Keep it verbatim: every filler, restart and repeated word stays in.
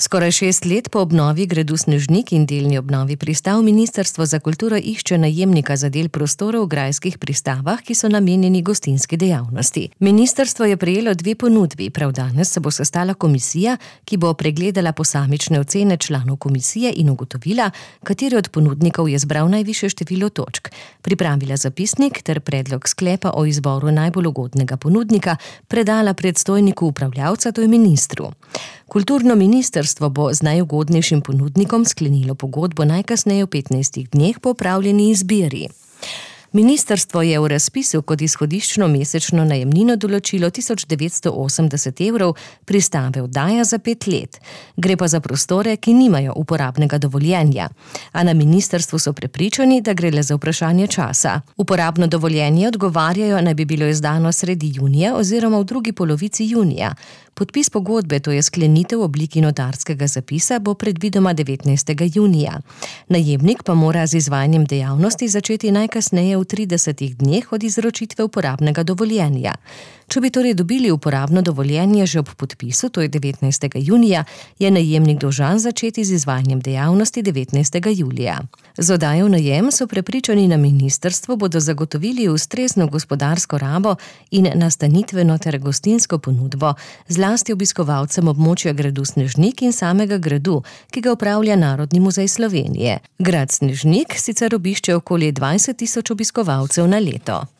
Skoraj šest let po obnovi gradu Snežnik in delni obnovi pristav Ministrstvo za kulturo išče najemnika za del prostorov v grajskih pristavah, ki so namenjeni gostinski dejavnosti. Ministrstvo je prejelo dve ponudbi, prav danes se bo sestala komisija, ki bo pregledala posamične ocene članov komisije in ugotovila, kateri od ponudnikov je zbral najvišje število točk. Pripravila zapisnik ter predlog sklepa o izboru najbolj ugodnega ponudnika predala predstojniku upravljavca, to je ministru. Kulturno ministrstvo bo z najugodnejšim ponudnikom sklenilo pogodbo najkasneje v petnajstih dneh po opravljeni izbiri. Ministrstvo je v razpisu kot izhodiščno mesečno najemnino določilo tisoč devetsto osemdeset evrov, pristave oddaja za pet let. Gre pa za prostore, ki nimajo uporabnega dovoljenja. A na ministrstvu so prepričani, da gre le za vprašanje časa. Uporabno dovoljenje, odgovarjajo, naj bi bilo izdano sredi junija oziroma v drugi polovici junija. Podpis pogodbe, to je sklenitev v obliki notarskega zapisa, bo predvidoma devetnajstega junija. Najemnik pa mora z izvajanjem dejavnosti začeti najkasneje v tridesetih dneh od izročitve uporabnega dovoljenja. Če bi torej dobili uporabno dovoljenje že ob podpisu, to je devetnajstega junija, je najemnik dolžan začeti z izvajanjem dejavnosti devetnajstega julija. Z oddajo v najem so prepričani na ministrstvu bodo zagotovili ustrezno gospodarsko rabo in nastanitveno ter gostinsko ponudbo, zlasti obiskovalcem območja gradu Snežnik in samega gradu, ki ga upravlja Narodni muzej Slovenije. Grad Snežnik sicer obišče okoli dvajset tisoč obiskovalcev na leto.